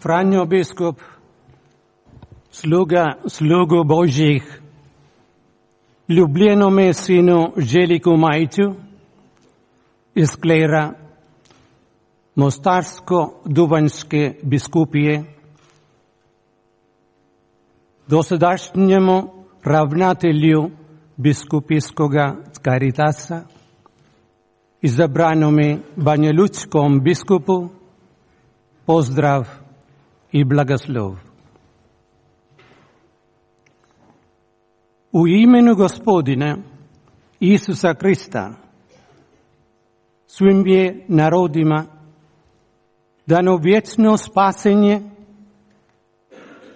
Franjo biskup, slugu Božjih, ljubljenome sinu Željku Majču iz klera Mostarsko-Duvanjske biskupije, dosadašnjemu ravnatelju biskupijskoga Caritasa, izabranome banjalučkom biskupu, pozdrav i blagoslov. U imenu Gospodina Isusa Krista svim je narodima dano vječno spasenje,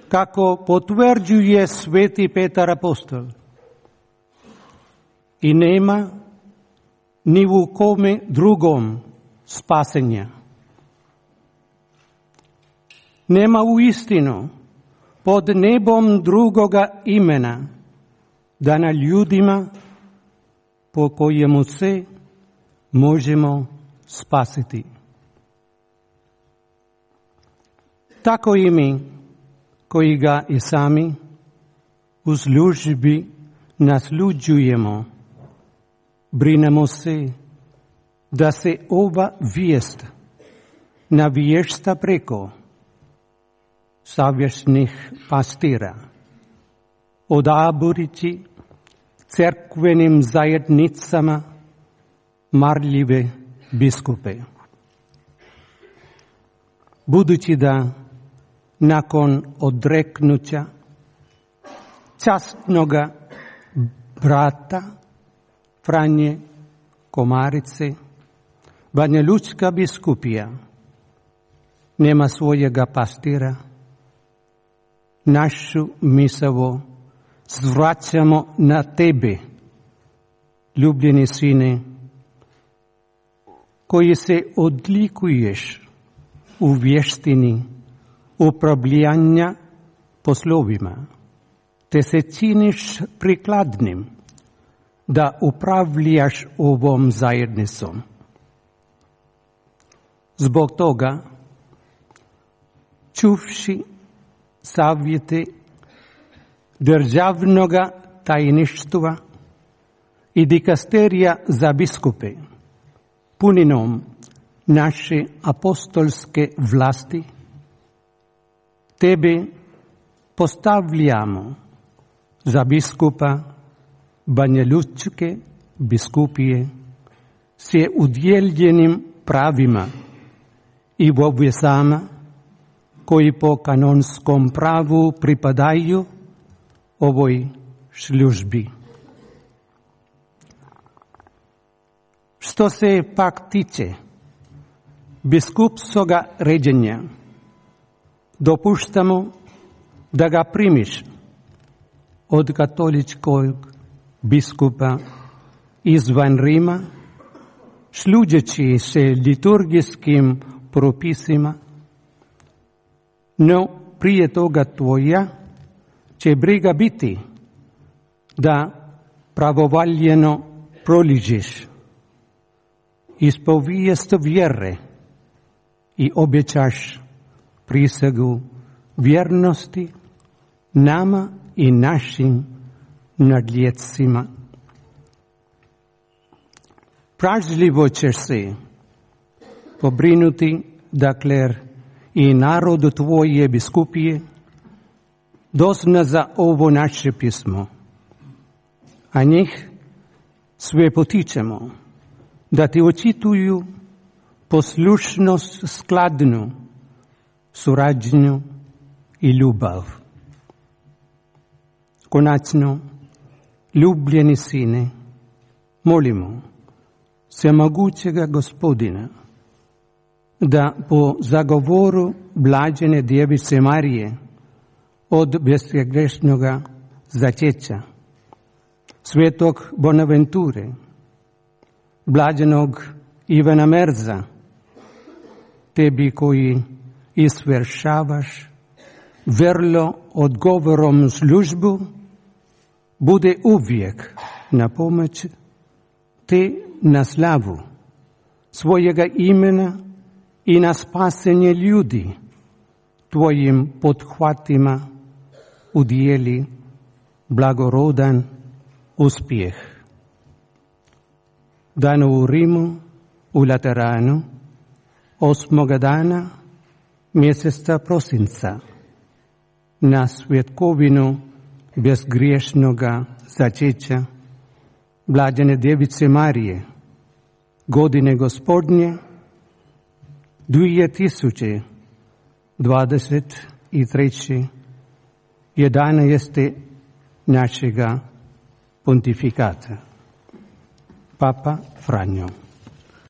kako potvrđuje sveti Petar apostol. I nema ni u kome drugom spasenja. Nema u istinu pod nebom drugoga imena dana ljudima po kojemu se možemo spasiti. Tako i mi, koji ga i sami u službi nasluđujemo, brinemo se da se ova vijest navješta preko savjesnih pastira, odaburući crkvenim zajednicama marljive biskupe. Budući da nakon odreknuća časnoga brata Franje Komarice, Banjalučka biskupija nema svojega pastira, našu misao zvraćamo na tebe, ljubljeni sine, koji se odlikuješ u vještini upravljanja poslovima, te se činiš prikladnim da upravljaš ovom zajednicom. Zbog toga, čuvši savjete državnoga tajništva i dikasterija za biskupe, puninom naše apostolske vlasti, tebe postavljamo za biskupa Banjalučke biskupije s udjeljenim pravima i obvezama koji po kanonskom pravu pripadaju ovoj službi. Što se pak tiče biskupskoga ređenja, dopuštamo da ga primiš od katoličkog biskupa izvan Rima, služeći se liturgijskim propisima, no prije toga tvoja će briga biti da pravovaljeno proližeš ispovijest vjere i obećaš prisegu vjernosti nama i našim nadljetcima. Pažljivo ćeš se pobrinuti da kler i narodu tvoje biskupije dozna za ovo naše pismo, a njih sve potičemo da ti očituju poslušnost skladnu, suradnju i ljubav. Konačno, ljubljeni sine, molimo svemogućega Gospodina da po zagovoru blažene Djevice Marije od bezgrešnoga začeća, svetog Bonaventure, blaženog Ivana Merza, tebi koji izvršavaš vrlo odgovorom službu, bude uvijek na pomoć te na slavu svojega imena i na spasenje ljudi, tvojim pothvatima udijeli blagorodan uspjeh. Dan u Rimu, u Lateranu, 8. dana mjeseca prosinca, na svjetkovinu bezgriješnoga začeća Blažene Djevice Marije, godine Gospodnje 2023. 11. našega pontifikata. Papa Franjo.